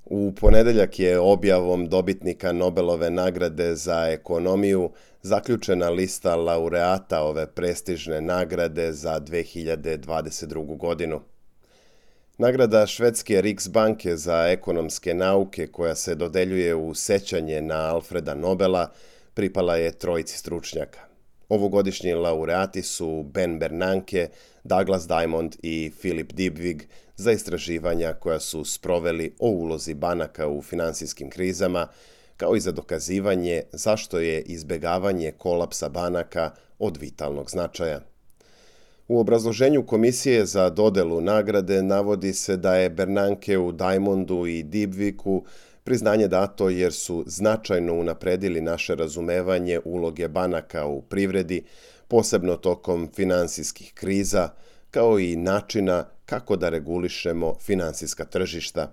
U ponedeljak je objavom dobitnika Nobelove nagrade za ekonomiju zaključena lista laureata ove prestižne nagrade za 2022. godinu. Nagrada švedske Riksbanke za ekonomske nauke, koja se dodeljuje u sećanje na Alfreda Nobela, pripala je trojici stručnjaka. Ovogodišnji laureati su Ben Bernanke, Douglas Diamond i Philip Dybvig za istraživanja koja su sproveli o ulozi banaka u finansijskim krizama, kao i za dokazivanje zašto je izbegavanje kolapsa banaka od vitalnog značaja. U obrazloženju komisije za dodelu nagrade navodi se da je Bernankeu, Diamondu i Dybvigu priznanje dato jer su značajno unapredili naše razumevanje uloge banaka u privredi, posebno tokom finansijskih kriza, kao i načina kako da regulišemo finansijska tržišta.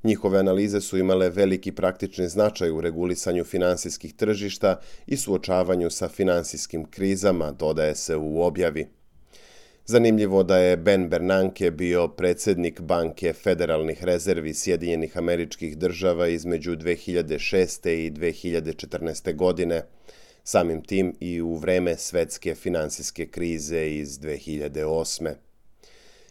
Njihove analize su imale veliki praktični značaj u regulisanju finansijskih tržišta i suočavanju sa finansijskim krizama, dodaje se u objavi. Zanimljivo da je Ben Bernanke bio predsjednik Banke federalnih rezervi Sjedinjenih Američkih Država između 2006. i 2014. godine, samim tim i u vreme svetske finansijske krize iz 2008.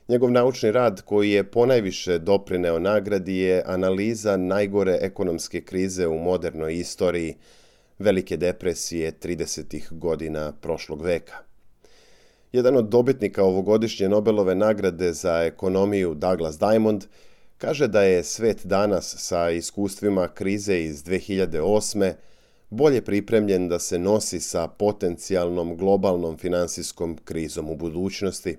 Njegov naučni rad, koji je ponajviše doprineo nagradi, je analiza najgore ekonomske krize u modernoj istoriji, velike depresije 30. godina prošlog veka. Jedan od dobitnika ovogodišnje Nobelove nagrade za ekonomiju, Douglas Diamond, kaže da je svet danas sa iskustvima krize iz 2008. bolje pripremljen da se nosi sa potencijalnom globalnom finansijskom krizom u budućnosti.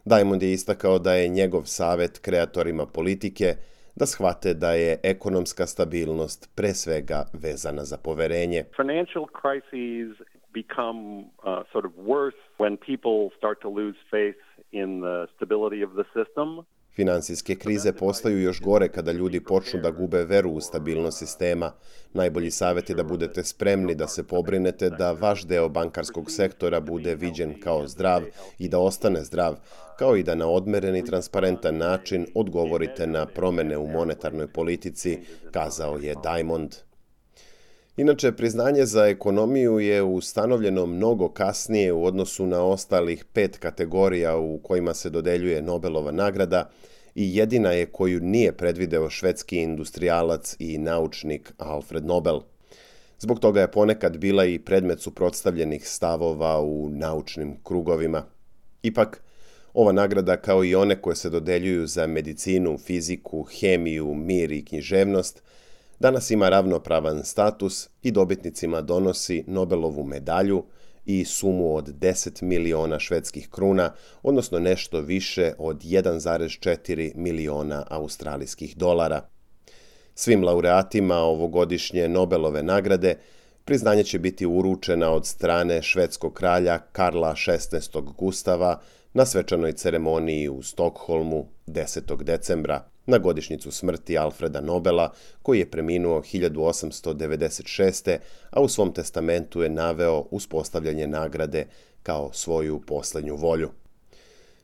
Diamond je istakao da je njegov savjet kreatorima politike da shvate da je ekonomska stabilnost pre svega vezana za poverenje. Financial crises become sort of worse when people start to lose faith in the stability of the system. Finansijske krize postaju još gore kada ljudi počnu da gube veru u stabilnost sistema. Najbolji savjet je da budete spremni da se pobrinete da vaš deo bankarskog sektora bude viđen kao zdrav i da ostane zdrav, kao i da na odmeren i transparentan način odgovorite na promene u monetarnoj politici, kazao je Diamond. Inače, priznanje za ekonomiju je ustanovljeno mnogo kasnije u odnosu na ostalih 5 kategorija u kojima se dodeljuje Nobelova nagrada i jedina je koju nije predvideo švedski industrijalac i naučnik Alfred Nobel. Zbog toga je ponekad bila i predmet suprotstavljenih stavova u naučnim krugovima. Ipak, ova nagrada, kao i one koje se dodeljuju za medicinu, fiziku, hemiju, mir i književnost, danas ima ravnopravan status i dobitnicima donosi Nobelovu medalju i sumu od 10 miliona švedskih kruna, odnosno nešto više od 1,4 miliona australijskih dolara. Svim laureatima ovogodišnje Nobelove nagrade priznanje će biti uručena od strane švedskog kralja Karla XVI. Gustava na svečanoj ceremoniji u Stokholmu 10. decembra, na godišnjicu smrti Alfreda Nobela, koji je preminuo 1896. a u svom testamentu je naveo uspostavljanje nagrade kao svoju posljednju volju.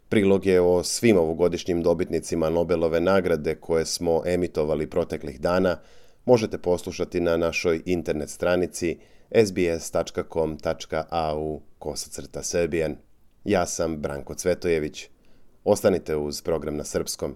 Priloge o svim ovogodišnjim dobitnicima Nobelove nagrade koje smo emitovali proteklih dana možete poslušati na našoj internet stranici sbs.com.au/serbian. Ja sam Branko Cvetojević. Ostanite uz program na srpskom.